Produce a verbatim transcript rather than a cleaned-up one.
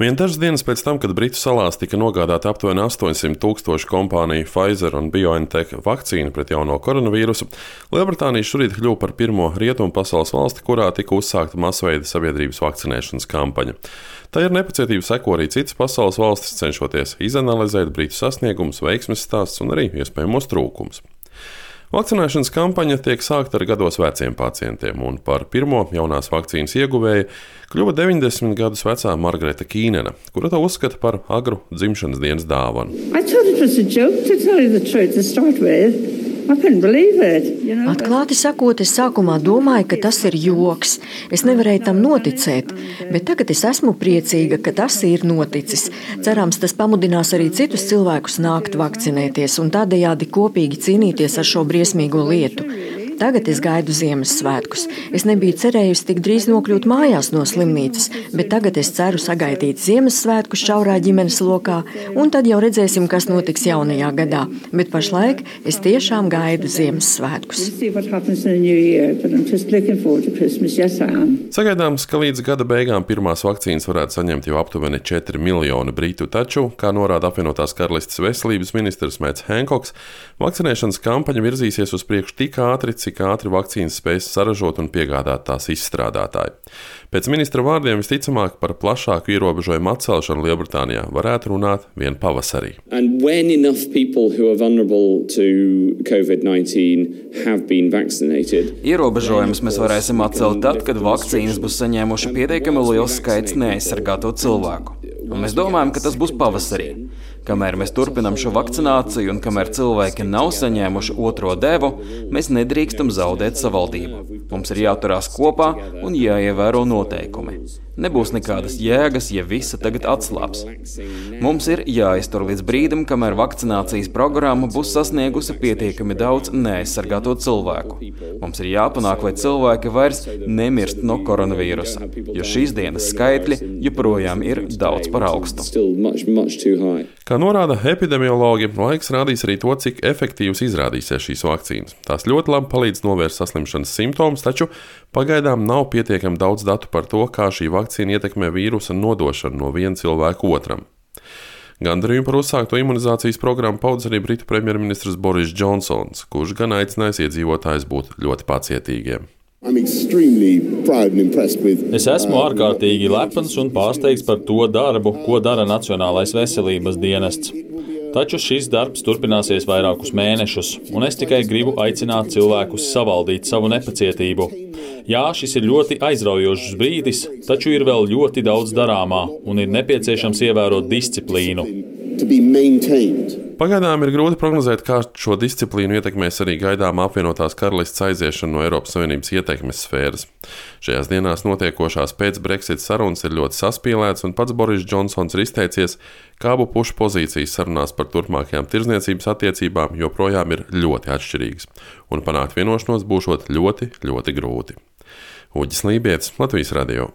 Vien dažas dienas pēc tam, kad Britu salās tika nogādāta aptuveni astoņsimt tūkstoši kompāniju Pfizer un BioNTech vakcīnu pret jauno koronavīrusu, Lielbritānija šorīt kļuva par pirmo rietumu pasaules valsti, kurā tika uzsākta masveida sabiedrības vakcinēšanas kampaņa. Tā ir nepacietība seko arī citas pasaules valstis, cenšoties izanalizēt Britu sasniegumus, veiksmes stāstus un arī iespējamos trūkumus. Vakcinēšanas kampaņa tiek sākta ar gados veciem pacientiem, un par pirmo jaunās vakcīnas ieguvēju kļuva deviņdesmit gadus vecā Margareta Kīnena, kura to uzskata par agru dzimšanas dienas dāvanu. Atklāti sakot, es sākumā domāju, ka tas ir joks. Es nevarēju tam noticēt, bet tagad es esmu priecīga, ka tas ir noticis. Cerams, tas pamudinās arī citus cilvēkus nākt vakcinēties un tādējādi kopīgi cīnīties ar šo briesmīgo lietu. Tagad es gaidu Ziemassvētkus. Es nebiju cerējusi tik drīz nokļūt mājās no slimnīcas, bet tagad es ceru sagaidīt Ziemassvētkus šaurā ģimenes lokā, un tad jau redzēsim, kas notiks jaunajā gadā. Bet pašlaik es tiešām gaidu Ziemassvētkus. Sagaidāms, ka līdz gada beigām pirmās vakcīnas varētu saņemt jau aptuveni četri miljoni britu, taču, kā norāda apvienotās karalistes veselības ministrs Mets Henkoks, vakcinēšanas kampaņa virzīsies uz priekšu tik ātri, cik ātri vakcīnas spēs saražot un piegādāt tās izstrādātāji. Pēc ministra vārdiem visticamāk par plašāku ierobežojumu atcelšanu Lielbritānijā varētu runāt vien pavasarī. Ierobežojumus mēs varēsim atcelt tad, kad vakcīnas būs saņēmuši pietiekami liels skaits neaizsargāto cilvēku. Un mēs domājam, ka tas būs pavasarī. Kamēr mēs turpinām šo vakcināciju un kamēr cilvēki nav saņēmuši otro devu, mēs nedrīkstam zaudēt savaldību. Mums ir jāturās kopā un jāievēro noteikumi. Nebūs nekādas jēgas, ja visa tagad atslāps. Mums ir jāiztur līdz brīdim, kamēr vakcinācijas programma būs sasniegusi pietiekami daudz neaizsargāto cilvēku. Mums ir jāpanāk, lai cilvēki vairs nemirst no koronavīrusa, jo šīs dienas skaitļi joprojām ir daudz par augstu. Kā norāda epidemiologi, laiks rādīs arī to, cik efektīvas izrādīsies šīs vakcīnas. Tās ļoti labi palīdz novērst saslimšanas simptomus, taču pagaidām nav pietiekami daudz datu par to, kā šī vakcīna ietekmē vīrusa nodošanu no viena cilvēka otram. Gandarījumu par uzsākto imunizācijas programmu paudz arī Britu premjerministrs Boris Džonsons, kurš gan aicinājis iedzīvotājus būt ļoti pacietīgiem. Es esmu ārkārtīgi lepns un pārsteigts par to darbu, ko dara Nacionālais veselības dienests. Taču šis darbs turpināsies vairākus mēnešus, un es tikai gribu aicināt cilvēkus savaldīt savu nepacietību. Jā, šis ir ļoti aizraujošs brīdis, taču ir vēl ļoti daudz darāmā, un ir nepieciešams ievērot disciplīnu. Pagaidām ir grūti prognozēt, kā šo disciplīnu ietekmēs arī gaidāmā apvienotās karalistes aiziešana no Eiropas Savienības ietekmes sfēras. Šajās dienās notiekošās pēc Brexit sarunas ir ļoti saspīlēts, un pats Boris Džonsons ir izteicies, ka abu pušu pozīcijas sarunās par turpmākajām tirdzniecības attiecībām joprojām ir ļoti atšķirīgas, un panākt vienošanos būšot ļoti, ļoti grūti. Uģis Lībietis, Latvijas radio.